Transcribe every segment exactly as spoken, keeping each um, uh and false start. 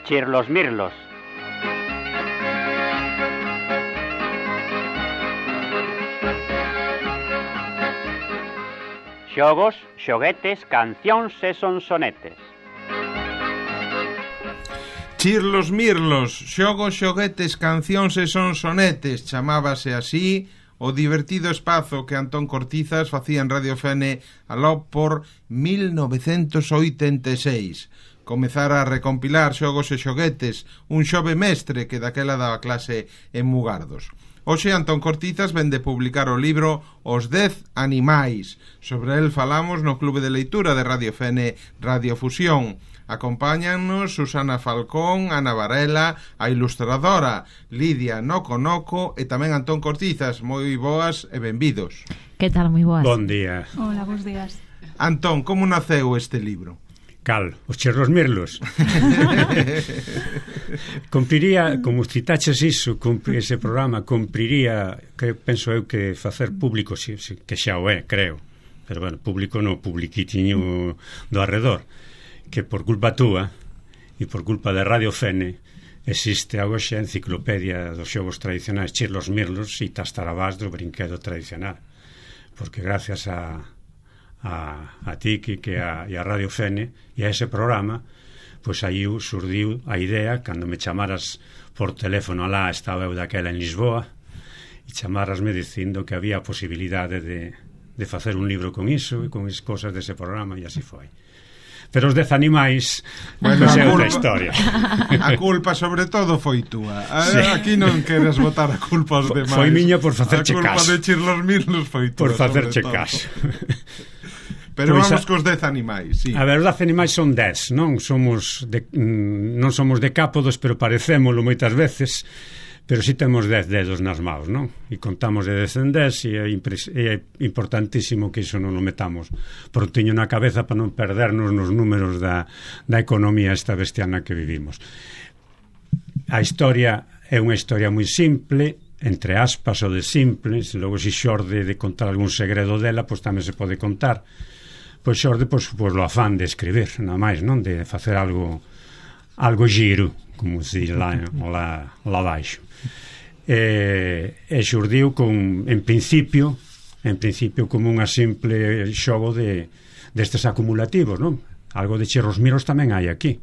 Chirlos Mirlos. Xogos, xoguetes, cancións e sonsonetes. Chirlos Mirlos, xogos, xoguetes, cancións e sonsonetes, chamábase así o divertido espazo que Antón Cortizas facía en Radio Fene aló por mil novecentos oitenta e seis. Comezara a recompilar xogos e xoguetes, un xove mestre que daquela daba clase en Mugardos. Hoxe Antón Cortizas vende publicar o libro Os dez animais. Sobre el falamos no Clube de Leitura de Radio Fene Radio Fusión. Acompáñannos Susana Falcón, Ana Varela, a ilustradora Lidia Noco Noco e tamén Antón Cortizas. Moi boas e benvidos. Que tal, moi boas? Bon día. Hola, bons días. Antón, como naceu este libro? Cal, os Chirlos Mirlos. Cumpriría, como citaches iso, cumpri, ese programa, cumpriría, que penso eu que facer público, si, si, que xa o é, creo, pero bueno, público no publiquitiño do arredor, que por culpa túa e por culpa de Radio Fene existe a hoxe a enciclopedia dos xogos tradicionais Chirlos Mirlos e Tastarabás do brinquedo tradicional, porque gracias a a, a ti que, que a, e a Radio Fene e a ese programa, pois aí surdiu a idea cando me chamaras por teléfono alá, estaba eu daquela en Lisboa, e chamarasme dicindo que había a posibilidade de, de facer un libro con iso e con as cosas dese programa, e así foi. Pero os dez animais, bueno, pois é outra historia. A culpa sobre todo foi túa. Sí. Aquí non queres botar a culpa aos demais. Foi miña por facerche caso. A culpa de Chirlos Mirlos foi túa. Por facerche caso. Pero pues vamos a, cos dez animais, sí. A ver, os dez animais son dez, non? Somos de, non somos decápodos, pero parecémolo moitas veces, pero si sí temos dez dedos nas maus, non? E contamos de dez en dez e é, é importantísimo que iso non o metamos prontiño na cabeza para non perdernos nos números da, da economía esta bestiana que vivimos. A historia é unha historia moi simple, entre aspas o de simple, se logo si xorde de contar algún segredo dela, pois tamén se pode contar. Pois xorde, pois, pois lo afán de escribir, nada máis, non? De facer algo algo giro, como se diz lá, lá, lá baixo. E, e xurdiu con, en principio, en principio como unha simple xogo de destes acumulativos, non? Algo de Chirlos Mirlos tamén hai aquí,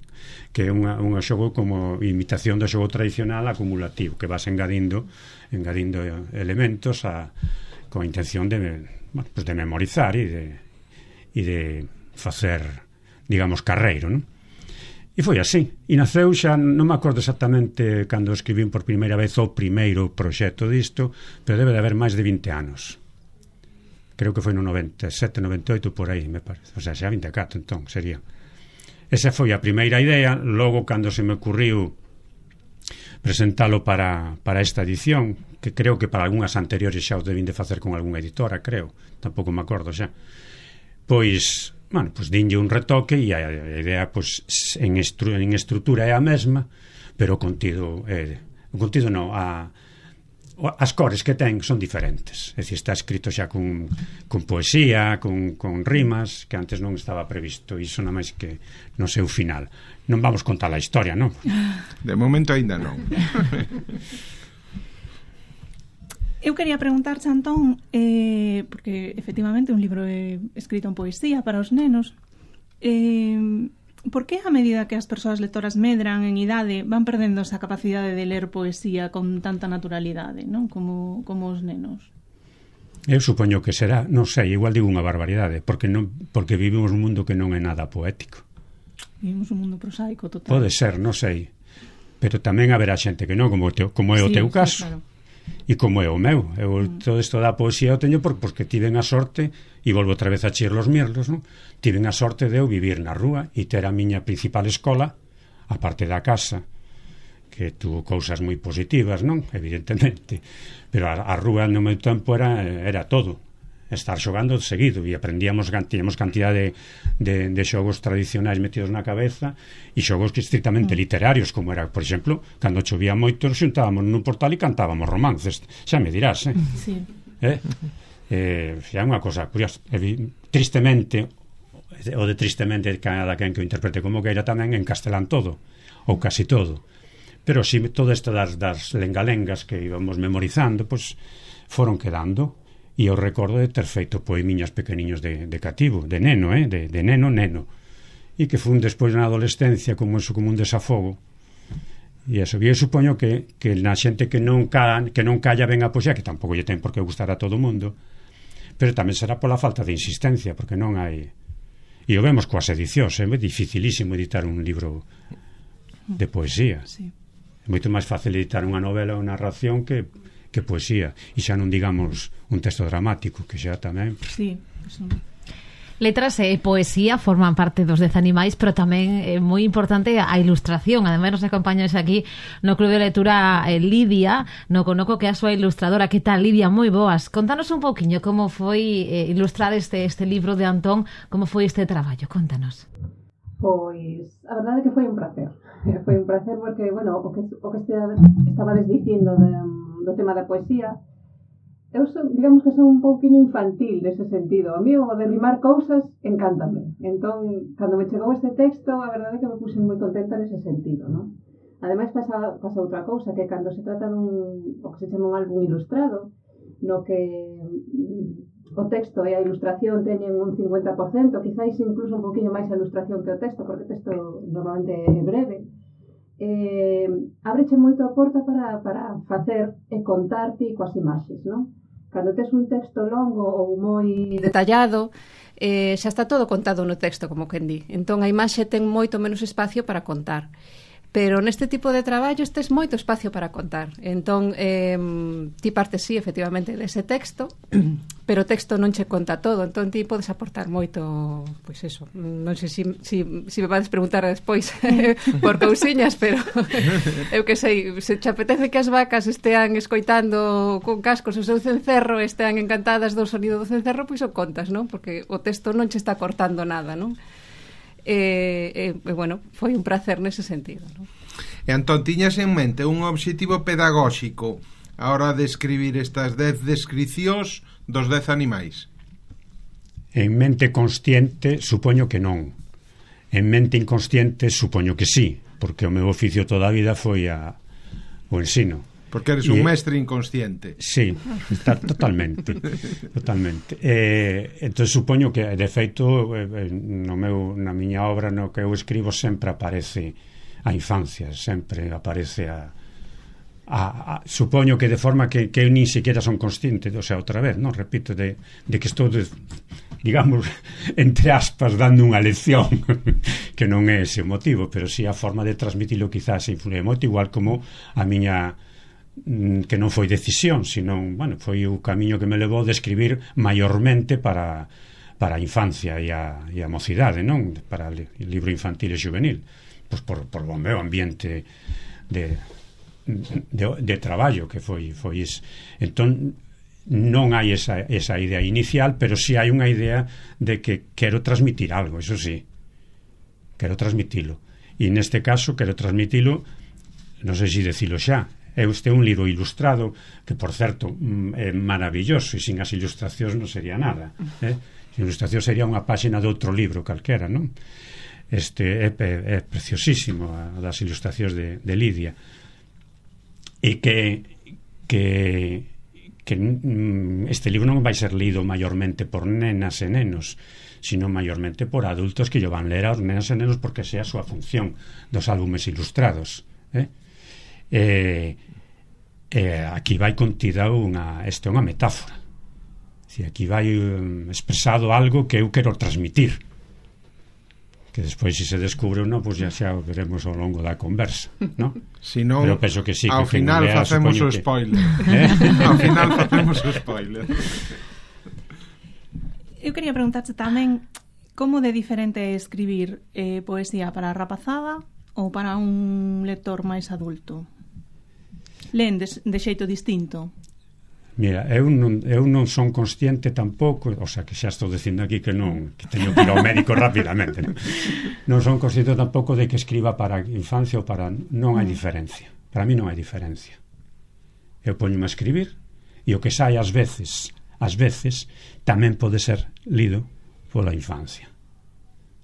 que é unha, unha xogo como imitación do xogo tradicional acumulativo, que vas engadindo engadindo elementos a, con a intención de, bueno, pues de memorizar e de e de facer, digamos, carreiro, non? E foi así, e naceu xa, non me acordo exactamente cando escribín por primeira vez o primeiro proxecto disto, pero debe de haber máis de vinte anos. Creo que foi no noventa e sete, noventa e oito, por aí, me parece. O sea, xa vinte e catro, entón, sería. Esa foi a primeira idea, logo cando se me ocurriu presentalo para, para esta edición, que creo que para algunhas anteriores xa os debín de facer con algunha editora, creo, tampouco me acordo xa. Pois, bueno, pois dinlle un retoque e a, a idea, pois, en, estru, en estrutura é a mesma, pero o contido é, o contido non, a, as cores que ten son diferentes, é dicir, está escrito xa con, con poesía, con, con rimas, que antes non estaba previsto, e iso nada máis que no seu final. Non vamos contar a historia, non? De momento aínda non. Eu quería preguntarche, Antón, eh, porque efectivamente un libro é escrito en poesía para os nenos, eh, por que a medida que as persoas lectoras medran en idade van perdendo esa capacidade de ler poesía con tanta naturalidade, non? Como, como os nenos? Eu supoño que será, non sei, igual digo unha barbaridade, porque non, porque vivimos un mundo que non é nada poético. Vivimos un mundo prosaico total. Pode ser, non sei, pero tamén haberá xente que non, como, teo, como é o sí, teu sí, caso. Claro. E como é o meu, eu mm. todo isto da poesía o teño por, porque tiven a sorte, e volvo outra vez a Chirlos Mirlos, non? Tiven a sorte de eu vivir na rúa e ter a miña principal escola, a parte da casa, que tuvo cousas moi positivas, non? Evidentemente, pero a, a rúa no meu tempo era, era todo, estar xogando seguido, e aprendíamos, tiñamos cantidad de, de, de xogos tradicionais metidos na cabeza e xogos que estrictamente mm. literarios, como era, por exemplo, cando chovía moito xuntábamos nun portal e cantábamos romances, xa me dirás, eh? Sí. Eh? Eh, xa é unha cosa curiosa. Tristemente o de Tristemente cada quen que o interprete como queira tamén en castelán todo, ou casi todo. Pero si todo isto das, das lengalengas que íbamos memorizando, pois foron quedando, e eu recordo de ter feito poemiñas pequeniños de, de cativo, de neno, eh? de, de neno, neno, e que fun despois na adolescencia como eso, como un desafogo. E eso, e eu supoño que, que na xente que non, ca, que non calla ben a poesía, que tampouco lle ten por que gustar a todo o mundo, pero tamén será pola falta de insistencia, porque non hai... E o vemos coas edicións, é dificilísimo editar un libro de poesía. Sí. É moito máis fácil editar unha novela ou narración que, que poesía. E xa non digamos un texto dramático, que xa tamén... Sí, eso. Letras e poesía forman parte dos Dez Animais, pero tamén é moi importante a ilustración. Ademais nos acompañas aquí no Club de Lectura eh, Lidia Noconoco, que é a súa ilustradora. Que tal, Lidia? Moi boas. Contanos un pouquiño como foi eh, ilustrar este, este libro de Antón, como foi este traballo, contanos. Pois, a verdade é que foi un placer. Foi un placer porque, bueno, o que, o que estaba desdicindo de, do tema da poesía, eu son, digamos que son un pouquinho infantil nese sentido. A mí o de rimar cousas encántame. Entón, cando me chegou este texto, a verdade é que me puse moi contenta nese sentido, non? Ademais, pasa, pasa outra cousa, que cando se trata dun, o que se chama un álbum ilustrado, no que o texto e a ilustración teñen un cincuenta por cento, quizáis incluso un pouquinho máis a ilustración que o texto, porque o texto normalmente é breve, eh, ábreche moito a porta para, para facer e contarte coas imaxes, non? Cando tes un texto longo ou moi detallado, eh, xa está todo contado no texto, como quen di. Entón a imaxe ten moito menos espacio para contar. Pero neste tipo de traballos tes moito espacio para contar. Entón, eh, ti partes, sí, efectivamente, dese texto, pero o texto non che conta todo. Entón, ti podes aportar moito, pois eso, non sei se si, si, si me vades preguntar despois por cousiñas, pero eu que sei, se te apetece que as vacas estean escoitando con cascos o seu cencerro, estean encantadas do sonido do cencerro, pois o contas, non? Porque o texto non che está cortando nada, non? E, e, e bueno, foi un placer nese sentido, non? E Antón, tiñas en mente un obxectivo pedagóxico a hora de escribir estas dez descricións dos dez animais? En mente consciente, supoño que non. En mente inconsciente, supoño que sí, porque o meu oficio toda a vida foi a, o ensino. Porque eres un e, mestre inconsciente. Sí, está totalmente. Totalmente. Eh, entón, supoño que, de feito, eh, no meu, na miña obra, no que eu escribo, sempre aparece a infancia, sempre aparece a... a, a supoño que de forma que, que eu nin siquiera son consciente, o sea, outra vez, non? Repito, de, de que estou, de, digamos, entre aspas, dando unha lección, que non é ese o motivo, pero sí a forma de transmitilo quizás influye moito, igual como a miña... que non foi decisión, senón, bueno, foi o camiño que me levou de escribir maiormente para, para a infancia e a, e a mocidade, non? Para o libro infantil e juvenil, pois por, por o meu ambiente de, de, de traballo que foi, foi is. Entón, non hai esa, esa idea inicial, pero sí hai unha idea de que quero transmitir algo, eso sí, quero transmitilo, e neste caso quero transmitilo, non sei se decilo xa. Este é un libro ilustrado que, por certo, é maravilloso, e sin as ilustracións non sería nada, eh? A ilustración sería unha páxina de outro libro calquera, non? Este é, é, é preciosísimo a das ilustracións de, de Lidia, e que que que este libro non vai ser lido maiormente por nenas e nenos, sino maiormente por adultos que lle van ler aos nenas e nenos, porque sea a súa función dos álbumes ilustrados, eh? Eh, eh, aquí vai contida unha, esta é unha metáfora, si aquí vai um, expresado algo que eu quero transmitir, que despois se se descubre ou non, pois pues xa xa veremos ao longo da conversa, non? Si non, pero penso que sí, ao que final lea, facemos o que... spoiler, eh? Ao final facemos o spoiler. Eu quería preguntarte tamén como de diferente é escribir eh, poesía para a rapazada ou para un lector máis adulto? Len de, de xeito distinto? Mira, eu non, eu non son consciente tampouco, o sea, que xa estou dicindo aquí que non, que teño que ir ao médico rapidamente, non? Non son consciente tampouco de que escriba para infancia ou para... Non hai diferencia, para mí non hai diferencia. Eu poñome a escribir e o que sai ás veces, ás veces, tamén pode ser lido pola infancia.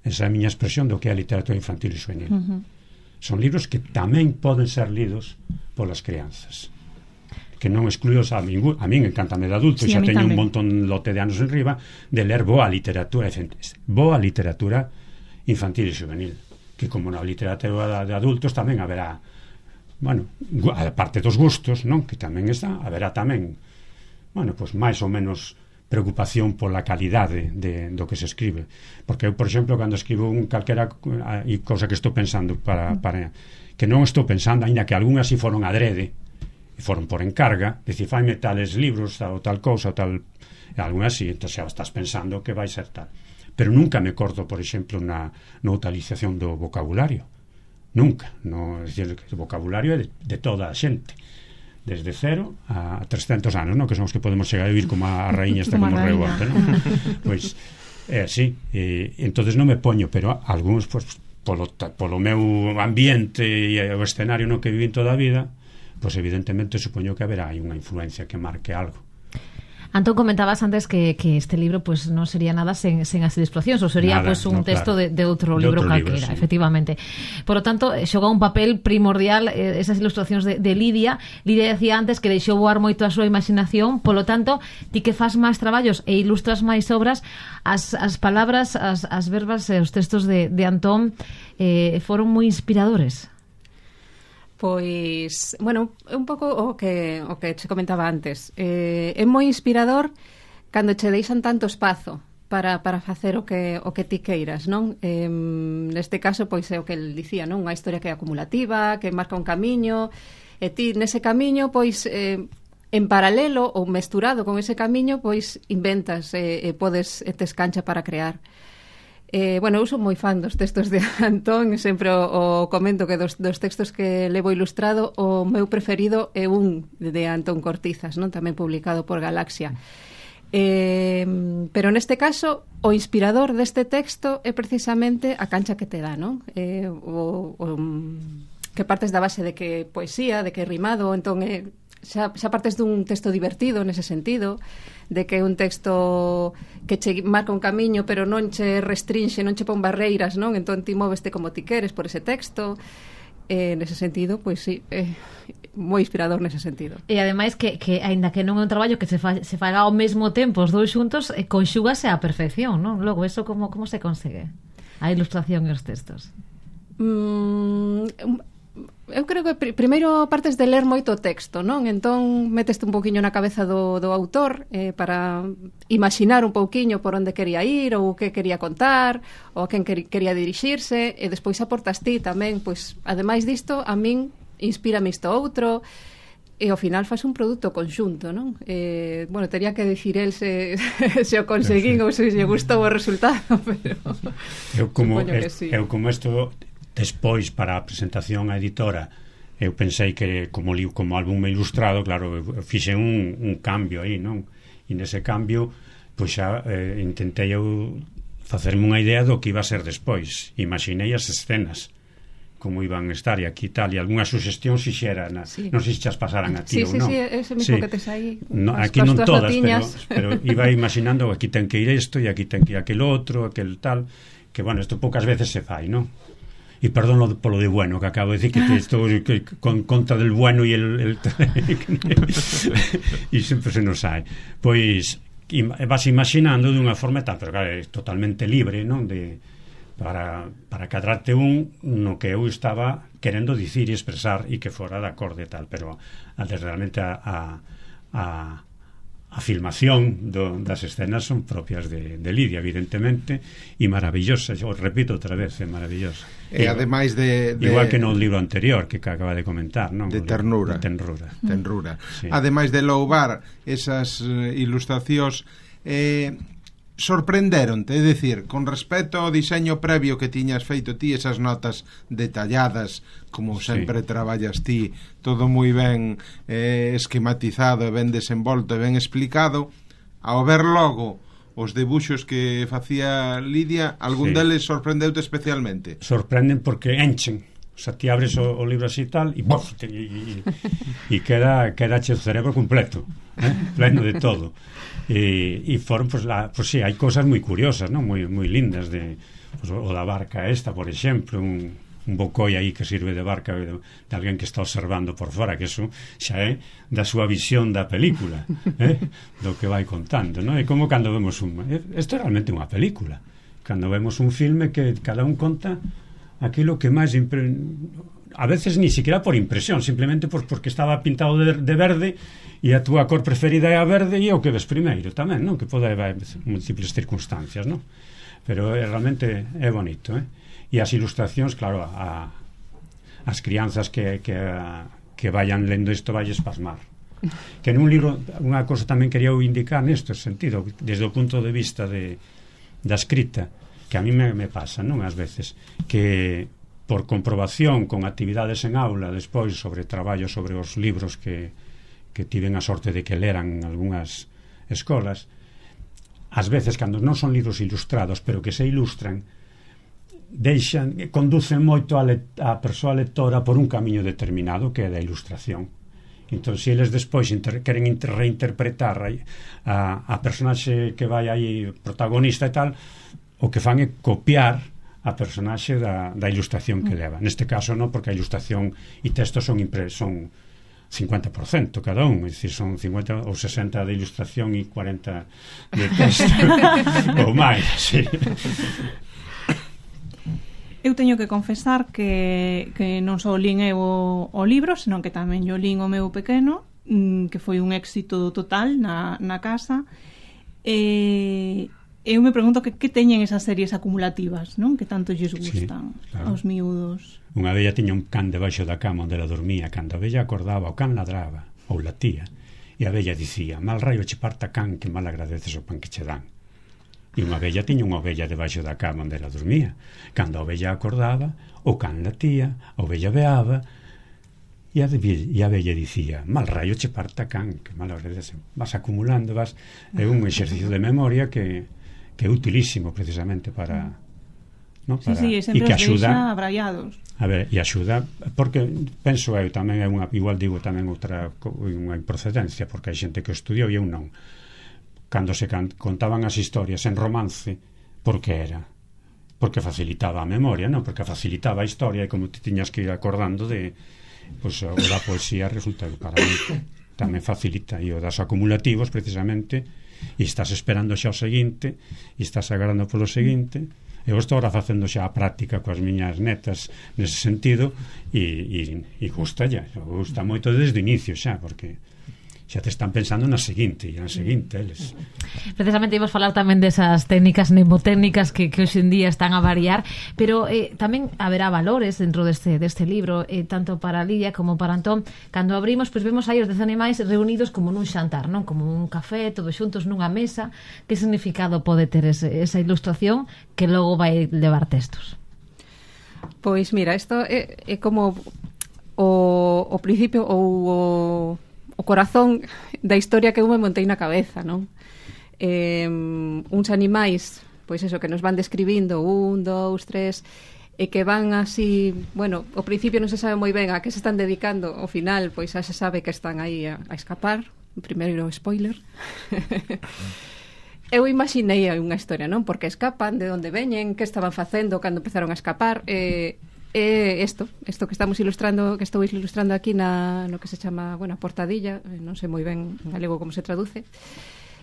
esa é a miña expresión do que é a literatura infantil e juvenil. Uh -huh. Son libros que tamén poden ser lidos polas crianzas, que non excluíos a min, a min encantame de adulto, sí, xa teño tamén. un montón lote de anos en riba de ler boa literatura boa literatura infantil e juvenil, que como na literatura de adultos tamén haberá, bueno, a parte dos gustos, non? Que tamén está, haberá tamén, bueno, pois máis ou menos preocupación pola calidade de, do que se escribe, porque eu, por exemplo, cando escribo un calquera e cousa que estou pensando para, para que non estou pensando, aínda que algunhas si foron adrede e foron por encarga, dicir, faime tales libros ou tal cousa ou tal, e algunhas si, entón xa estás pensando que vai ser tal, pero nunca me corto, por exemplo, na, na utilización do vocabulario, nunca, no, é dicir, que o vocabulario é de, de toda a xente, desde cero a trescentos anos, ¿no? Que son os que podemos chegar a vivir como a raíña esta que morreu onte, ¿no? Pois é así, e entonces non me poño, pero algúns, pues, polo, polo meu ambiente e o escenario no que vivín toda a vida, pois evidentemente supoño que haberá aí unha influencia que marque algo. Antón, comentabas antes que, que este libro pues no sería nada sen, sen as ilustracións, ou sería nada, pues un no, texto claro. de, de outro de libro outro calquera, libro, sí. Efectivamente. Por lo tanto, xoga un papel primordial eh, esas ilustracións de, de Lidia. Lidia decía antes que deixou voar moito a súa imaginación, polo tanto, ti que faz máis traballos e ilustras máis obras, as, as palabras, as, as verbas e os textos de, de Antón eh, foron moi inspiradores. Pois, bueno, un pouco o que o que che comentaba antes. Eh, é moi inspirador cando che deixan tanto espazo para, para facer o que o que ti queiras, non? Eh, neste caso, pois é o que el dicía, non? Unha historia que é acumulativa, que marca un camiño, e ti nese camiño, pois, eh, en paralelo ou mesturado con ese camiño, pois inventas e, e podes e tes cancha para crear. Eh, bueno, eu son moi fan dos textos de Antón, sempre o, o comento que dos, dos textos que levo ilustrado, o meu preferido é un de Antón Cortizas, non? Tamén publicado por Galaxia. Eh, pero neste caso, o inspirador deste texto é precisamente a cancha que te dá, non? Eh, o, o, que partes da base de que poesía, de que rimado, entón é, xa, xa partes dun texto divertido nese sentido, de que é un texto que che marca un camiño pero non che restrinxe, non che pon barreiras, non? Entón ti móveste como ti queres por ese texto. Eh, nese sentido, pois sí, é moi inspirador nese sentido. E ademais que, que aínda que non é un traballo que se, fa, se faga ao mesmo tempo os dous xuntos, eh, conxúgase á perfección, non? Logo, eso como, como se consegue? A ilustración e os textos. Mm, eu creo que pr primeiro partes de ler moito texto, non? Entón meteste un pouquiño na cabeza do, do autor eh, para imaginar un pouquiño por onde quería ir ou que quería contar ou a quen quería dirixirse, e despois aportas ti tamén, pois, ademais disto, a min inspírame isto outro, e ao final faz un produto conxunto, non? Eh, bueno, tería que dicir el se, se o conseguín ou se lle gustou o resultado, pero eu como, que sí. eu como isto despois para a presentación á editora eu pensei que como li, como álbum ilustrado, claro, eu fixe un, un cambio aí, non? E nese cambio pois xa eh, intentei eu facerme unha idea do que iba a ser despois. Imaginei as escenas como iban a estar e aquí tal, e algunha suxestión si xera na, sí. non sei se xas pasaran a ti sí, ou sí, non. Sí, sí, ese mismo sí. que tes aí. No, aquí non todas, pero, pero iba imaginando aquí ten que ir isto e aquí ten que ir aquel outro, aquel tal, que bueno, isto poucas veces se fai, non? E perdón lo, polo de bueno que acabo de decir, que estou que, con contra del bueno e el, el e sempre se nos sai. Pois vas imaginando dunha forma tal, pero claro, é totalmente libre, non? De, para, para cadrarte un no que eu estaba querendo dicir e expresar e que fora de acorde tal, pero realmente a, a, a a filmación do, das escenas son propias de, de Lidia, evidentemente, e maravillosa, eu repito outra vez, é maravillosa. E ademais de, de... Igual que no libro anterior que acaba de comentar, non? De ternura. De tenrura. Tenrura. Sí. Ademais de louvar esas uh, ilustracións, eh, sorprenderonte, é dicir, con respecto ao diseño previo que tiñas feito ti, esas notas detalladas, como sí. sempre traballas ti, todo moi ben eh, esquematizado, ben desenvolto e ben explicado, ao ver logo os debuxos que facía Lidia, algún sí. deles sorprendeute especialmente? Sorprenden porque enchen. O sea, ti abres o, o libro así tal e bof, te, e, e queda queda che o cerebro completo, eh? Pleno de todo. E, e foron, pues, la, pues sí, hai cosas moi curiosas, ¿no? moi, moi lindas de, pues, o da barca esta, por exemplo, un, un bocoi aí que sirve de barca de, de alguén que está observando por fora, que eso xa é da súa visión da película, eh? do que vai contando, non? É como cando vemos un... Isto é realmente unha película. Cando vemos un filme que cada un conta aquilo que máis... Impre... A veces ni siquiera por impresión, simplemente por, porque estaba pintado de, de verde e a túa cor preferida é a verde e é o que ves primeiro tamén, non? Que pode haber múltiples circunstancias, non? Pero é, realmente é bonito, eh? E as ilustracións, claro, a, as crianzas que, que, que vayan lendo isto vai espasmar. Que nun libro, unha cosa tamén quería indicar neste sentido, desde o punto de vista de, da escrita, que a mí me, me pasa, non? Ás veces, que por comprobación con actividades en aula despois sobre traballo sobre os libros que, que tiven a sorte de que leran en algunhas escolas, ás veces cando non son libros ilustrados pero que se ilustran, deixan, conducen moito a, le, a persoa lectora por un camiño determinado que é da ilustración. Entón, se eles despois inter, queren inter, reinterpretar a, a personaxe que vai aí protagonista e tal, o que fan é copiar a personaxe da, da ilustración que leva. Neste caso non, porque a ilustración e texto son, impre, son cincuenta por cento cada un, é dicir, son cincuenta ou sesenta de ilustración e cuarenta de texto ou máis, sí. Eu teño que confesar que, que non só lín eu o, o libro, senón que tamén yo lín o meu pequeno, que foi un éxito total na, na casa. E eu me pregunto que, que teñen esas series acumulativas, non? Que tanto lles gustan, sí, claro, aos miúdos. Unha vella tiña un can debaixo da cama onde ela dormía. Cando a vella acordaba, o can ladraba ou latía, e a vella dicía: mal raio che parta, can, que mal agradeces o pan que che dan. E unha vella tiña unha ovella debaixo da cama onde ela dormía. Cando a ovella acordaba, o can latía, a ovella veaba, e a, e a vella dicía: mal raio che parta, can, que mal agradeces. Vas acumulando, vas... É un exercicio de memoria que, que é utilísimo precisamente para... ¿no? Para sí, sí, sempre os deixa abraiados. A ver, e axuda, porque penso eu tamén é unha, igual digo tamén outra unha improcedencia, porque hai xente que estudiou e eu non. Cando se can, contaban as historias en romance, porque era? Porque facilitaba a memoria, non? Porque facilitaba a historia e como te tiñas que ir acordando de... Pois pues, o da poesía resulta que para mí tamén facilita, e o das acumulativos precisamente, e estás esperando xa o seguinte, e estás agardando polo seguinte. Eu estou agora facendo xa a práctica coas miñas netas nese sentido, e, e, e gusta ya, gusta moito desde o inicio xa, porque xa te están pensando na seguinte e na seguinte eles. Precisamente íbamos falar tamén desas técnicas mnemotécnicas que, que hoxe en día están a variar, pero eh, tamén haberá valores dentro deste, deste libro, eh, tanto para Lidia como para Antón. Cando abrimos, pois vemos aí os dez animais reunidos como nun xantar, non? Como un café, todos xuntos nunha mesa. Que significado pode ter ese, esa ilustración que logo vai levar textos? Pois mira, isto é, é como o, o principio ou o o corazón da historia que eu me montei na cabeza, non? Eh, uns animais, pois eso, que nos van describindo un, dous, tres, e que van así, bueno, ao principio non se sabe moi ben a que se están dedicando, ao final, pois xa se sabe que están aí a, a escapar. Primeiro spoiler. Eu imaginei unha historia, non? Porque escapan, de onde veñen, que estaban facendo cando empezaron a escapar, e... Eh, É isto, isto que estamos ilustrando, que estou ilustrando aquí na, no que se chama, bueno, portadilla, non sei moi ben en galego como se traduce.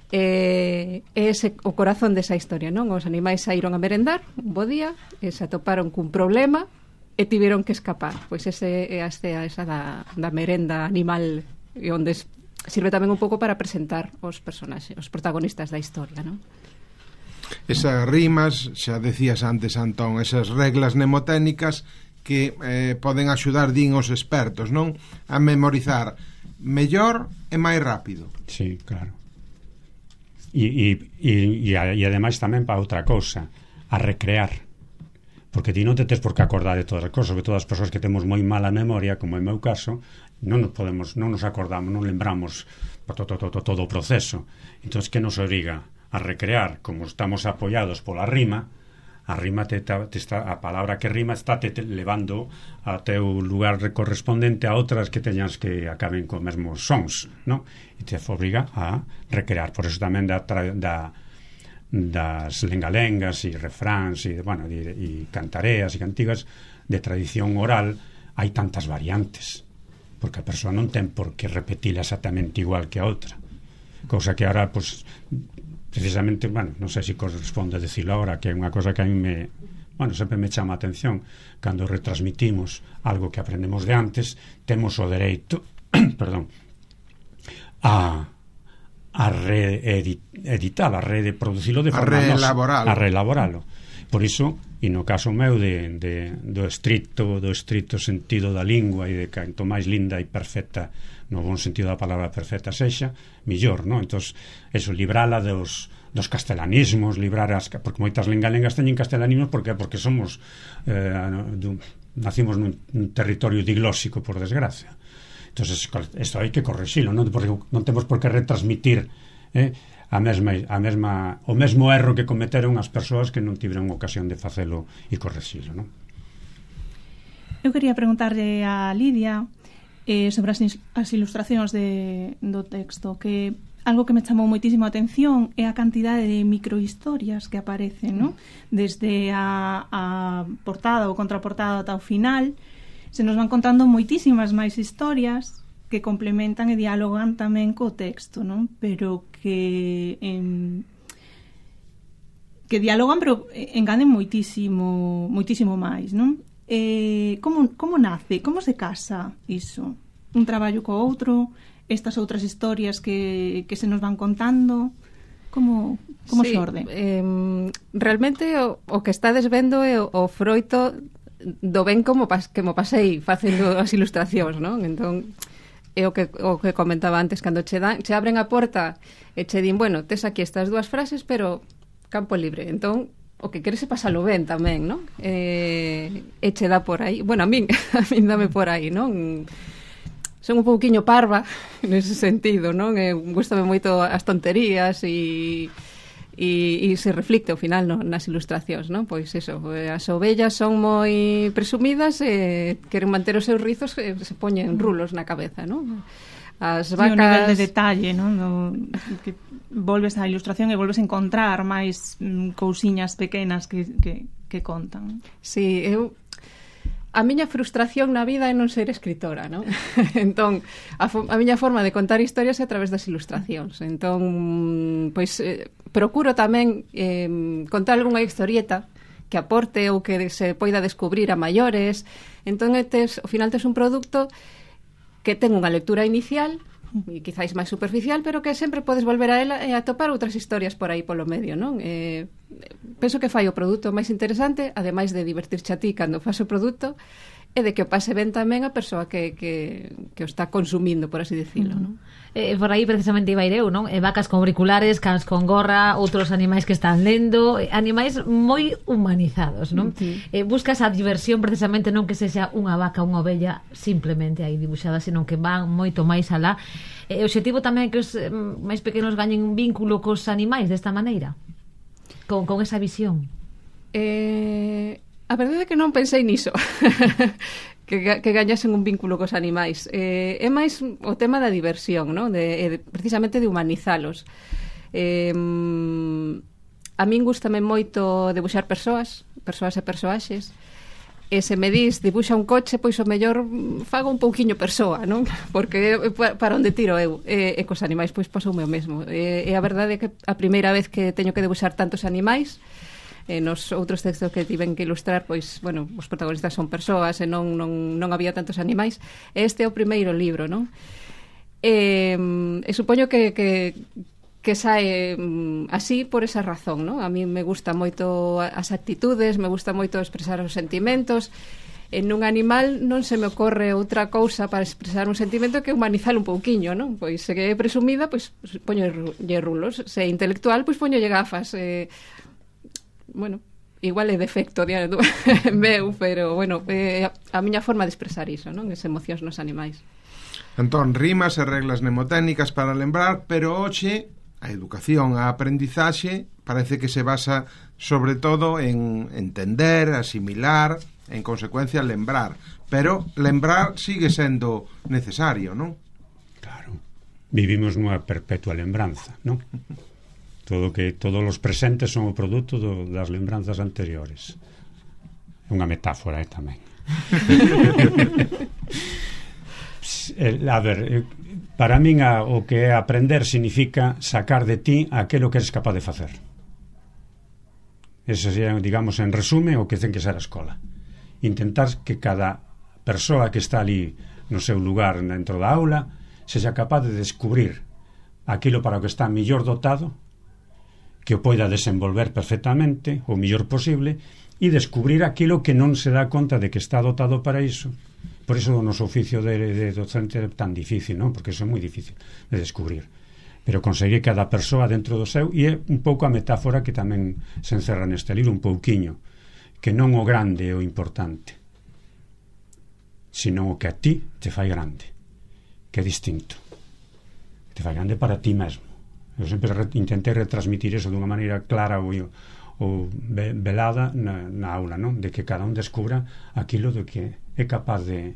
É ese o corazón desa historia, non? Os animais saíron a merendar un bo día e se atoparon cun problema e tiveron que escapar. Pois ese é a estea esa da, da merenda animal, e onde sirve tamén un pouco para presentar os personaxes, os protagonistas da historia, non? Esas rimas, xa decías antes, Antón, esas reglas mnemotécnicas que eh, poden axudar, din os expertos, non? A memorizar mellor e máis rápido. Sí, claro. E, e, e, e, e ademais tamén para outra cousa, a recrear. Porque ti non te tes por que acordar de todas as cousas, que todas as persoas que temos moi mala memoria, como é o meu caso, non nos podemos, non nos acordamos, non lembramos todo, todo, todo, todo o proceso. Entón, que nos obriga a recrear, como estamos apoiados pola rima, a rima te, te está, a palabra que rima está te, te levando a teu lugar correspondente a outras que teñas que acaben con mesmos sons, non? E te obriga a recrear. Por eso tamén da, da das lengalengas e refráns e, bueno, e, e cantareas e cantigas de tradición oral, hai tantas variantes, porque a persoa non ten por que repetila exactamente igual que a outra, cousa que ahora, pues, precisamente, bueno, non sei se corresponde decirlo ahora, que é unha cosa que a mí me, bueno, sempre me chama a atención. Cando retransmitimos algo que aprendemos de antes, temos o dereito perdón a a reeditar, a reproducilo de forma reelaboralo. a reelaboralo. Por iso, e no caso meu de, de, do estricto do estricto sentido da lingua e de canto máis linda e perfecta, no bon sentido da palabra perfecta sexa, millor, non? Entón, eso, librala dos, dos castelanismos, librar as, porque moitas lengalengas teñen castelanismos porque porque somos eh, dun, nacimos nun, nun territorio diglóxico, por desgracia. Entón, isto hai que correxilo, non, porque non temos por que retransmitir eh, a mesma, a mesma, o mesmo erro que cometeron as persoas que non tiveron ocasión de facelo e correxilo, non? Eu quería preguntarlle a Lidia eh, sobre as, as ilustracións de, do texto, que algo que me chamou moitísimo a atención é a cantidade de microhistorias que aparecen, ¿no? Desde a, a portada ou contraportada ata o final, se nos van contando moitísimas máis historias que complementan e dialogan tamén co texto, ¿no? Pero que en, que dialogan, pero engaden moitísimo moitísimo máis, ¿no? Eh, como, como nace, como se casa iso? Un traballo co outro, estas outras historias que, que se nos van contando, como, como sí, xorde? Eh, realmente o, o que estades vendo é o, o froito do ben como pas, que mo pasei facendo as ilustracións, non? Entón, é o que, o que comentaba antes, cando che, dan, che abren a porta e che din, bueno, tes aquí estas dúas frases, pero campo libre. Entón, o que queres é pasalo ben tamén, non? Eh, e che dá por aí. Bueno, a min, a min dame por aí, non? Son un pouquiño parva nese sentido, non? Eh, gústame moito as tonterías e, e, e se reflicte ao final no, nas ilustracións, non? Pois eso, as ovellas son moi presumidas e queren manter os seus rizos e se poñen rulos na cabeza, non? As vacas... Sí, o nivel de detalle, non? No, que volves á ilustración e volves a encontrar máis mm, cousiñas pequenas que, que, que contan. Sí, eu... A miña frustración na vida é non ser escritora, non? Entón, a, a miña forma de contar historias é a través das ilustracións. Entón, pois, eh, procuro tamén eh, contar algunha historieta que aporte ou que se poida descubrir a maiores. Entón, tes, ao final tes un produto que ten unha lectura inicial e quizáis máis superficial, pero que sempre podes volver a ela e atopar outras historias por aí polo medio, non? Eh, penso que fai o produto máis interesante, ademais de divertirche a ti cando faz o produto, e de que o pase ben tamén a persoa que, que, que o está consumindo, por así decirlo, uh-huh. non? Eh, por aí precisamente iba eu, non? Eh, vacas con auriculares, cans con gorra, outros animais que están lendo, eh, animais moi humanizados, non? Uh-huh. Eh, buscas a diversión precisamente non que sexa unha vaca, unha ovella simplemente aí dibuixada, senón que van moito máis alá. Eh, o objetivo tamén é que os eh, máis pequenos gañen un vínculo cos animais desta maneira, con, con esa visión. Eh... A verdade é que non pensei niso que, que gañasen un vínculo cos animais. Eh, é máis o tema da diversión, ¿no? de, de, precisamente de humanizalos. Eh, a min gústame moito debuxar persoas, persoas e persoaxes, e se me dis dibuxa un coche, pois o mellor fago un pouquiño persoa, non? Porque para onde tiro eu, e, e cos animais pois pasoume o mesmo. E, e a verdade é que a primeira vez que teño que debuxar tantos animais, e nos outros textos que tiven que ilustrar, pois, bueno, os protagonistas son persoas e non, non, non había tantos animais. Este é o primeiro libro, non? E, e supoño que, que, que sae así por esa razón, non? A mí me gusta moito as actitudes, me gusta moito expresar os sentimentos. En un animal non se me ocorre outra cousa para expresar un sentimento que humanizar un pouquiño, non? Pois se que é presumida, pois poño lle rulos. Se é intelectual, pois poño lle gafas. Eh, bueno, igual é defecto de meu, pero bueno, é a miña forma de expresar iso, non? As emocións nos animais. Entón, rimas e reglas mnemotécnicas para lembrar, pero hoxe a educación, a aprendizaxe parece que se basa sobre todo en entender, asimilar, en consecuencia lembrar, pero lembrar sigue sendo necesario, non? Claro, vivimos nunha perpetua lembranza, non? todo que todos os presentes son o produto do, das lembranzas anteriores. É unha metáfora, eh, tamén. A ver, para min a, o que é aprender significa sacar de ti aquilo que eres capaz de facer. Ese sería, digamos, en resume o que ten que ser a escola. Intentar que cada persoa que está ali no seu lugar dentro da aula sexa capaz de descubrir aquilo para o que está mellor dotado, que o poida desenvolver perfectamente o mellor posible, e descubrir aquilo que non se dá conta de que está dotado para iso. Por iso o noso oficio de, de docente é tan difícil, non? Porque iso é moi difícil de descubrir. Pero conseguir cada persoa dentro do seu, e é un pouco a metáfora que tamén se encerra neste libro, un pouquiño, que non o grande é o importante, sino o que a ti te fai grande, que é distinto, te fai grande para ti mesmo. Eu sempre re, intentei retransmitir eso dunha maneira clara ou, ou velada na, na aula, non? De que cada un descubra aquilo do que é capaz de,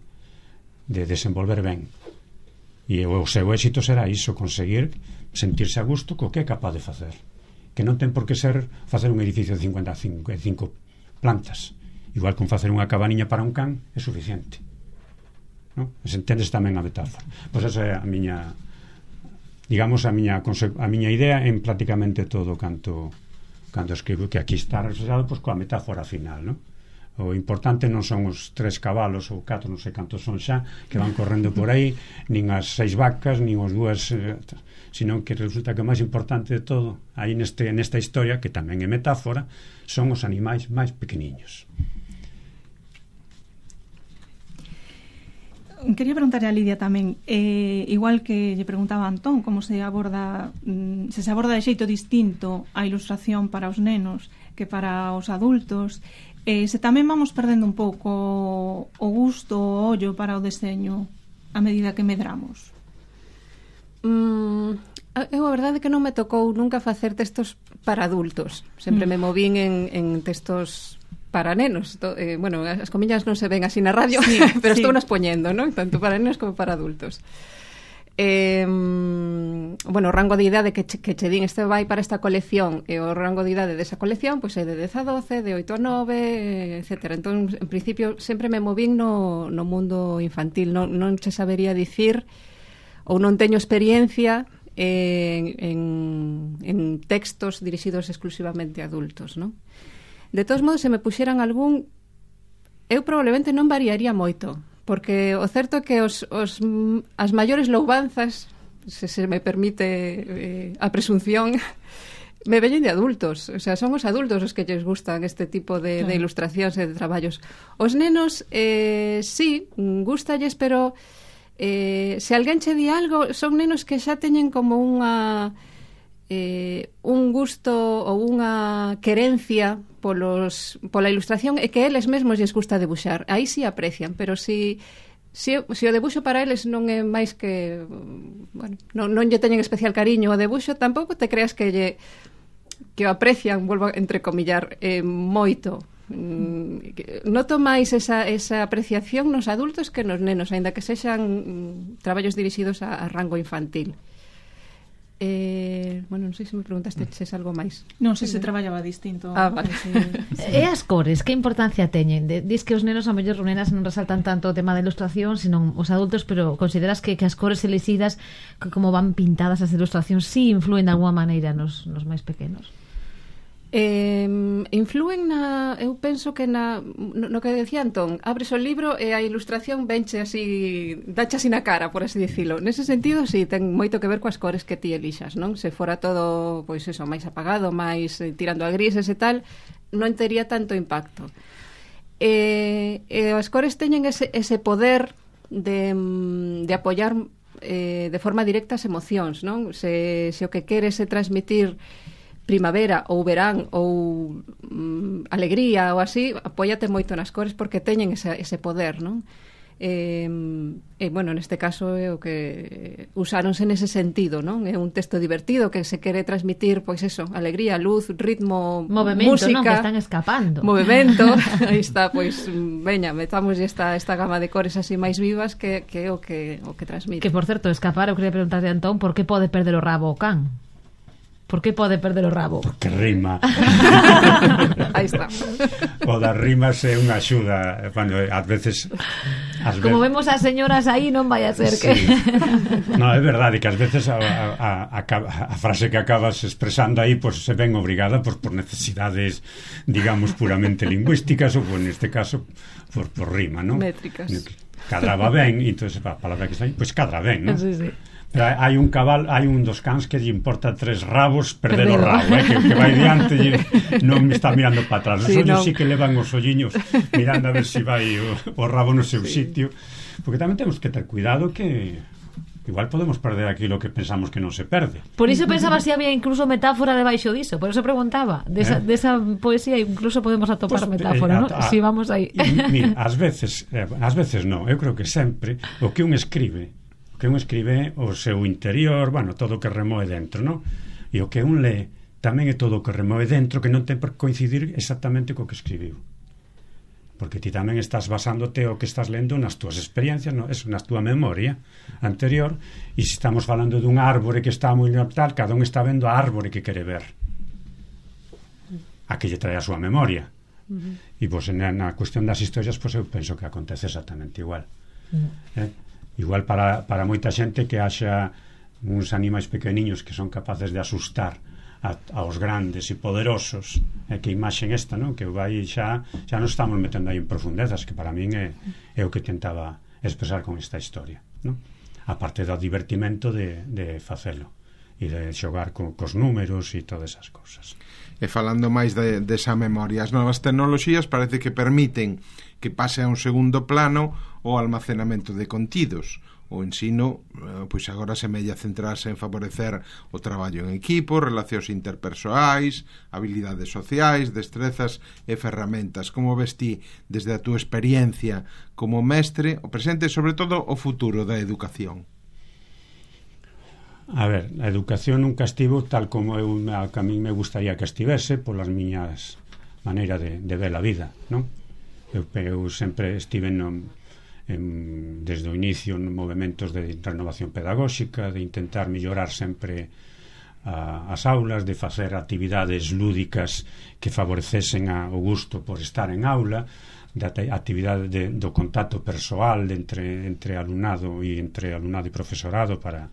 de desenvolver ben, e o seu éxito será iso, conseguir sentirse a gusto co que é capaz de facer, que non ten por que ser facer un edificio de cincuenta e cinco plantas, igual con facer unha cabaniña para un can é suficiente, non? Se entendes tamén a metáfora. Pois esa é a miña, digamos, a miña, a miña idea en prácticamente todo canto canto escribo, que aquí está reflexado pois coa metáfora final, non? O importante non son os tres cabalos ou catro, non sei cantos son xa, que van correndo por aí, nin as seis vacas, nin os dúas, eh, sino que resulta que o máis importante de todo aí neste, nesta historia, que tamén é metáfora, son os animais máis pequeniños. Quería preguntarle a Lidia tamén, eh, igual que lle preguntaba a Antón, como se aborda, se se aborda de xeito distinto a ilustración para os nenos que para os adultos, eh, se tamén vamos perdendo un pouco o gusto, o ollo para o deseño a medida que medramos. Mm, eu a verdade é que non me tocou nunca facer textos para adultos, sempre mm. me movín en, en textos para nenos. To, eh, bueno, as comillas non se ven así na radio, sí, pero sí. Estou nas poñendo, ¿no? Tanto para nenos como para adultos. Eh, bueno, o rango de idade que che, que che din este vai para esta colección, e o rango de idade desa colección pois é de dez a doce, de oito a nove, etcétera. Entón, en principio, sempre me movín no, no mundo infantil. Non, non se sabería dicir, ou non teño experiencia en, en, en textos dirixidos exclusivamente a adultos, non? De todos modos, se me puxeran algún, eu probablemente non variaría moito, porque o certo é que os, os, as maiores loubanzas, se se me permite eh, a presunción, me veñen de adultos. O sea, son os adultos os que lles gustan este tipo de, claro. de ilustracións e de traballos. Os nenos, eh, sí, gustalles, pero eh, se alguén che di algo, son nenos que xa teñen como unha... Eh, un gusto ou unha querencia polos, pola ilustración, e que eles mesmos lles gusta debuxar. Aí sí aprecian, pero si, si, si o debuxo para eles non é máis que, bueno, non, non lle teñen especial cariño ao debuxo, tampouco te creas que lle que o aprecian, volvo a entrecomillar, eh, moito. Mm, noto máis esa, esa apreciación nos adultos que nos nenos, aínda que sexan mm, traballos dirixidos a, a rango infantil. Eh, bueno, non sei se me preguntaste se é algo máis. Non sei se traballaba distinto. Ah, vale. Sí, sí. E as cores, que importancia teñen? De, dis que os nenos a mellor nenas non resaltan tanto o tema da ilustración, sino os adultos, pero consideras que, que as cores elixidas, que como van pintadas as ilustracións, sí influen de alguma maneira nos, nos máis pequenos? Eh, influen na, eu penso que na, no, no que decía Antón, abres o libro e a ilustración venche así, dache así na cara, por así dicilo. Nese sentido, sí, ten moito que ver coas cores que ti elixas, non? Se fora todo, pois eso, máis apagado, máis eh, tirando a grises e tal, non tería tanto impacto. Eh, eh, as cores teñen ese, ese poder de, de apoiar eh, de forma directa as emocións, non? Se, se o que queres é transmitir primavera ou verán ou mm, alegría ou así, apóiate moito nas cores porque teñen ese, ese poder, non? E, e, bueno, neste caso é o que usáronse nese sentido, non? É un texto divertido que se quere transmitir, pois eso, alegría, luz, ritmo, movemento, música, non? Que están escapando. Movemento, aí está, pois, veña, metamos esta, esta gama de cores así máis vivas que, que é o que, o que transmite. Que, por certo, escapar, eu queria preguntarle a Antón, por que pode perder o rabo o can? Por que pode perder o rabo? Porque rima. Aí está. O das rimas é unha axuda. Bueno, ás veces... As Como ve... vemos as señoras aí, non vai a ser que... Sí. No, é verdade que ás veces a, a, a, a frase que acabas expresando aí pues, se ven obrigada pues, por necesidades, digamos, puramente lingüísticas ou, pues, neste caso, por, por rima, non? Métricas. Cadraba ben, e entón, a palabra que está aí, pois pues, cadra ben, non? Sí, sí. Pero hai un cabal, hai un dos cans que lle importa tres rabos perder o rabo, eh, que, que vai diante e non me está mirando para atrás. Os Sí, ollos no. sí que levan os olliños mirando a ver se si vai o, o rabo no seu sí. sitio, porque tamén temos que ter cuidado que igual podemos perder aquilo que pensamos que non se perde. Por iso pensaba se si había incluso metáfora debaixo diso, por eso preguntaba, desa, Eh? desa poesía incluso podemos atopar Pues, metáfora, eh, ¿no? a, a, Si vamos aí. Mira, ás veces, eh, ás veces non, eu creo que sempre o que un escribe que un escribe o seu interior, bueno, todo o que remoe dentro, non? E o que un lee tamén é todo o que remoe dentro, que non ten por coincidir exactamente co que escribiu. Porque ti tamén estás basándote o que estás lendo nas túas experiencias, no? Eso, na túa memoria anterior, e se estamos falando dun árbore que está moi tal, cada un está vendo a árbore que quere ver, a que lle trae a súa memoria. Uh-huh. E pois na, na cuestión das historias, pois eu penso que acontece exactamente igual. Uh-huh. Eh? Igual para, para moita xente que haxa uns animais pequeniños que son capaces de asustar a, aos grandes e poderosos, e que imaxen esta, non? Que vai xa xa nos estamos metendo aí en profundezas, que para min é, é o que tentaba expresar con esta historia, non? A parte do divertimento de, de facelo e de xogar co, cos números e todas esas cousas. E falando máis de, desa memoria, as novas tecnoloxías parece que permiten que pase a un segundo plano o almacenamento de contidos. O ensino, pois agora semella centrarse en favorecer o traballo en equipo, relacións interpersoais, habilidades sociais, destrezas e ferramentas. Como ves ti, desde a túa experiencia como mestre, o presente e, sobre todo, o futuro da educación? A ver, a educación nunca estivo tal como eu, a, que a mí me gustaría que estivese polas miñas maneiras de, de ver a vida, non? Eu, eu sempre estive no, en, desde o inicio en movimentos de renovación pedagóxica, de intentar mellorar sempre a, as aulas, de facer actividades lúdicas que favorecesen a, o gusto por estar en aula, de actividade de, do contacto persoal de entre, entre alumnado e entre alumnado e profesorado para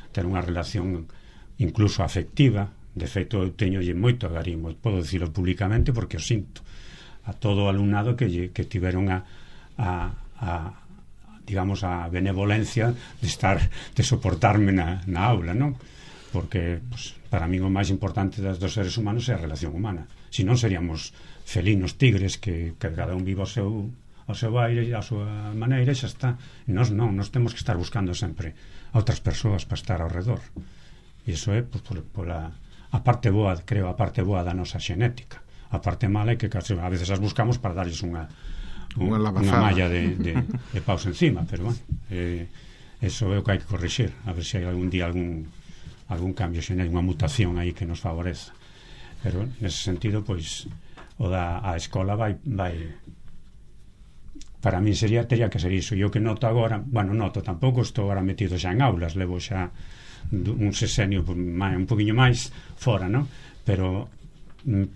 ter unha relación incluso afectiva. De feito, eu teño moito agarimo, podo dicilo públicamente porque o sinto a todo o alumnado que, lle, que tiveron a, a, a digamos a benevolencia de estar de soportarme na, na aula, non? Porque pues, para mí o máis importante das dos seres humanos é a relación humana. Se non seríamos felinos tigres que, que cada un viva o seu ao seu aire e a súa maneira e xa está. Nos non, nos temos que estar buscando sempre a outras persoas para estar ao redor. E iso é pues, por, por a, a parte boa, creo, a parte boa da nosa xenética. A parte mala é que a veces as buscamos para darles unha un, unha malla de, de, de paus encima, pero bueno, eh, eso é o que hai que corrixir, a ver se hai algún día algún, algún cambio xenético, unha mutación aí que nos favoreza. Pero nese sentido, pois o da a escola vai vai para mí sería, teria que ser iso. E o que noto agora, bueno, noto, tampouco estou agora metido xa en aulas, levo xa un sexenio un poquinho máis fora, non? Pero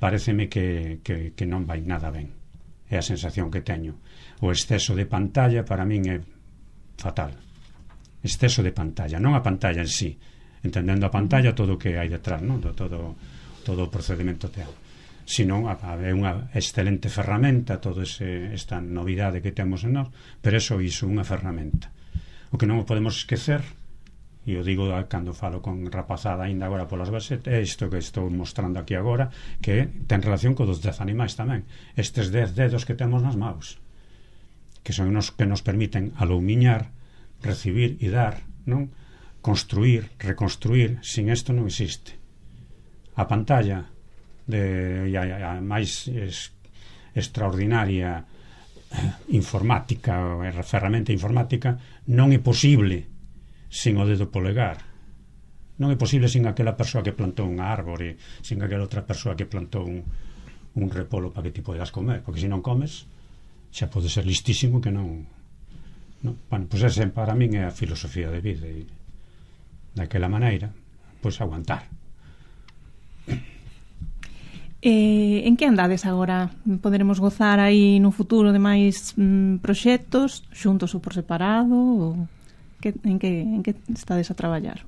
pareceme que, que, que non vai nada ben. É a sensación que teño. O exceso de pantalla para min é fatal. Exceso de pantalla, non a pantalla en sí, entendendo a pantalla todo o que hai detrás, non? Todo, todo o procedimento teatro. Senón é unha excelente ferramenta toda esta novidade que temos en nós, pero eso iso unha ferramenta. O que non podemos esquecer, e o digo cando falo con rapazada ainda agora polas bases, é isto que estou mostrando aquí agora, que ten relación co dos dez animais tamén, estes dez dedos que temos nas maus, que son os que nos permiten aloumiñar, recibir e dar, non? Construir, reconstruir. Sin isto non existe. A pantalla de a, a máis es, extraordinaria informática ou ferramenta informática non é posible sin o dedo polegar. Non é posible sin aquela persoa que plantou unha árbore, sin aquela outra persoa que plantou un, un repolo para que ti podas comer, porque se non comes xa pode ser listísimo que non, non? Bueno, pois ese para min é a filosofía de vida, e daquela maneira pois aguantar Eh, en que andades agora? Poderemos gozar aí no futuro de máis mm, proxectos, xuntos ou por separado? Ou que, en, que, en que estades a traballar?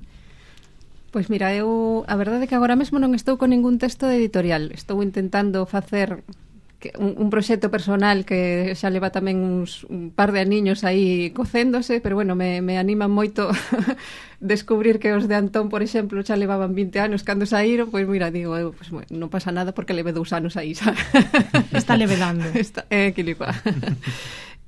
Pois mira, eu a verdade é que agora mesmo non estou con ningún texto de editorial. Estou intentando facer un, un proxecto personal que xa leva tamén uns, un par de aniños aí cocéndose, pero bueno, me, me anima moito descubrir que os de Antón, por exemplo, xa levaban vinte anos cando saíron, pois mira, digo, eu, pues, bueno, non pasa nada porque leve dous anos aí, xa. Está levedando. Está, é, que lipa.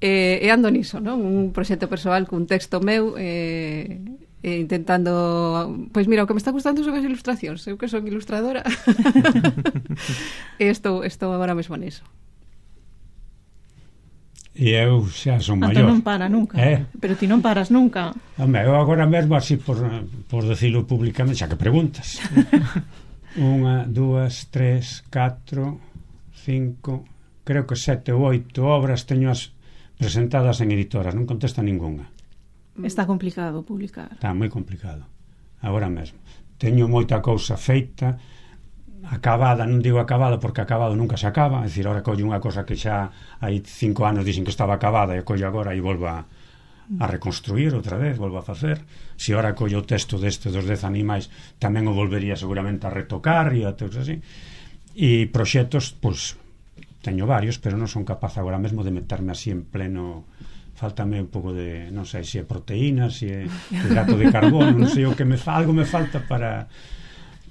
e, e ando niso, non? Un proxecto persoal cun texto meu, eh, e intentando, pois mira, o que me está gustando son as ilustracións, eu que son ilustradora. E estou, estou agora mesmo niso. E eu xa son maior. Antón non para nunca. Eh? Pero ti non paras nunca. Home, eu agora mesmo, así por, por decirlo públicamente, xa que preguntas. Unha, dúas, tres, catro, cinco, creo que sete ou oito obras teño as presentadas en editoras, non contesta ninguna. Está complicado publicar. Está moi complicado, agora mesmo. Teño moita cousa feita, acabada, non digo acabada porque acabado nunca se acaba, é dicir, ahora collo unha cosa que xa hai cinco anos dixen que estaba acabada e collo agora e volvo a, a reconstruir outra vez, volvo a facer. Se ahora collo o texto deste dos dez animais tamén o volvería seguramente a retocar e a teus así. E proxectos, pois, teño varios, pero non son capaz agora mesmo de meterme así en pleno. Faltame un pouco de, non sei se é proteína, se é hidrato de carbono, non sei o que me fa, algo me falta para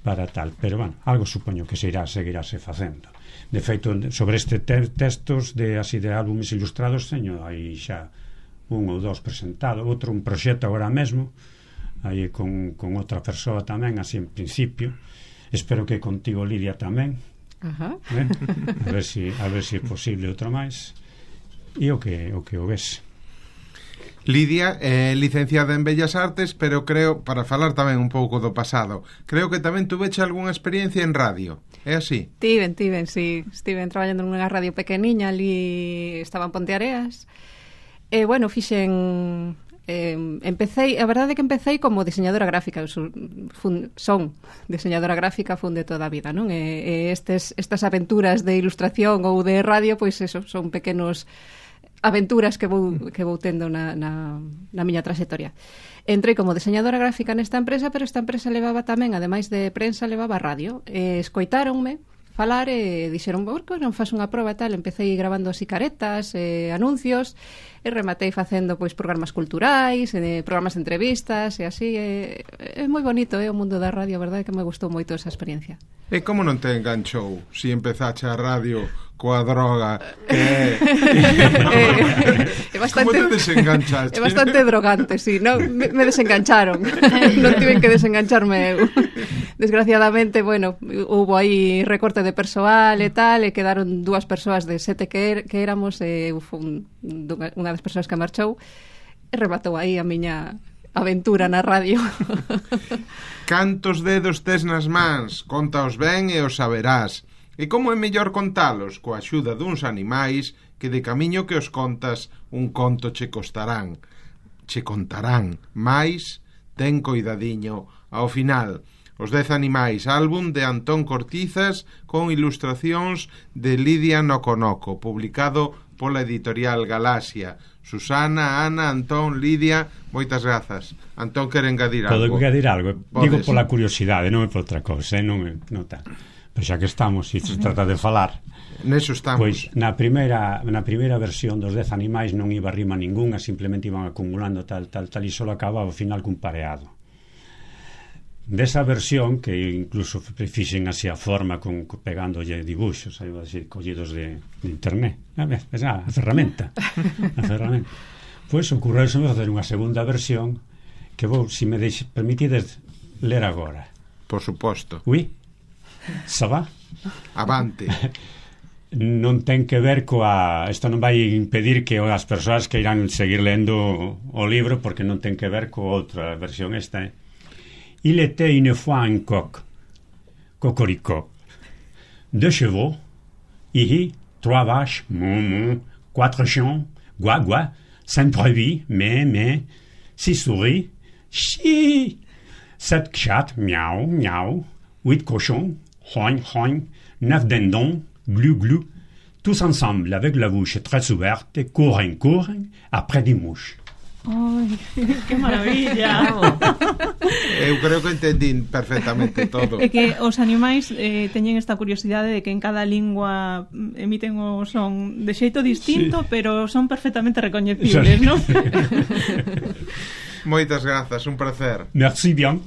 para tal, pero bueno, algo supoño que se irá, seguirase facendo. De feito, sobre este te textos de así de álbumes ilustrados teño aí xa un ou dos presentado, outro un proxecto agora mesmo, aí con, con outra persoa tamén, así en principio. Espero que contigo, Lidia, tamén. Ajá. Eh? A ver si a ver si é posible outro máis. E o que o que o ves. Lidia é licenciada en Bellas Artes, pero creo, para falar tamén un pouco do pasado, creo que tamén tuveche algunha experiencia en radio, é así? Tiven, tiven, sí, estiven traballando nunha radio pequeniña, ali estaba en Ponteareas, e, bueno, fixen, eh, empecé, a verdade é que empecé como diseñadora gráfica, son, son diseñadora gráfica, fun de toda a vida, non? E, e estes, estas aventuras de ilustración ou de radio, pois eso, son pequenos aventuras que vou, que vou tendo na, na, na miña traxectoria. Entrei como diseñadora gráfica nesta empresa, pero esta empresa levaba tamén, ademais de prensa, levaba radio. E escoitáronme falar e dixeron, por que non faz unha proba e tal? Empecé grabando así caretas, eh, anuncios, e rematei facendo pois programas culturais, eh, programas de entrevistas, e así. É, é moi bonito, é eh, o mundo da radio, a verdade que me gustou moito esa experiencia. E como non te enganchou si empezache a radio coa droga que é... é bastante, como te desenganchaste? É bastante drogante, sí, no, me, me desengancharon. Non tiven que desengancharme eu. Desgraciadamente, bueno, hubo aí recorte de persoal e tal, e quedaron dúas persoas de sete que, er, que éramos, e eu fui unha das persoas que marchou, e rematou aí a miña aventura na radio. Cantos dedos tes nas mans? Contaos ben e os saberás. E como é mellor contalos? Coa axuda duns animais que de camiño que os contas un conto che costarán. Che contarán, mais ten coidadiño. Ao final, Os dez animais, álbum de Antón Cortizas con ilustracións de Lidia Noconoco, publicado pola editorial Galaxia. Susana, Ana, Antón, Lidia, moitas grazas. Antón quere engadir algo. Podo engadir algo. Podes. Digo pola curiosidade, non é por outra cousa, eh? non, non tal. Pero xa que estamos, e se trata de falar, neso estamos. Pois na primeira, na primeira versión dos dez animais non iba rima ningunha, simplemente iban acumulando tal, tal, tal, e só acababa ao final cun pareado. Desa versión, que incluso fixen así a forma con, con pegándolle dibuxos, aí, así, collidos de, de internet, a ver, a ferramenta a ferramenta pois ocurreuse facer unha segunda versión que vou, se me deixe, permitides ler agora. Por suposto. Oui, ça va? Avante. Non ten que ver coa... Isto non vai impedir que as persoas que irán seguir lendo o libro, porque non ten que ver coa outra versión esta, eh? Il était une fois un coq, cocorico, deux chevaux, hihi, trois vaches, mou mou, quatre chiens, gua gua, cinq brebis, mé mé, six souris, chi, sept chats, miaou miaou, huit cochons, rogne rogne, neuf dindons, glu glu, tous ensemble avec la bouche très ouverte, corren, corren, après des mouches. Ai, que maravilla. Eu creo que entendín perfectamente todo. É que os animais eh, teñen esta curiosidade de que en cada lingua emiten o son de xeito distinto, sí, pero son perfectamente recoñecibles, non? Moitas grazas, un placer. Merci bien.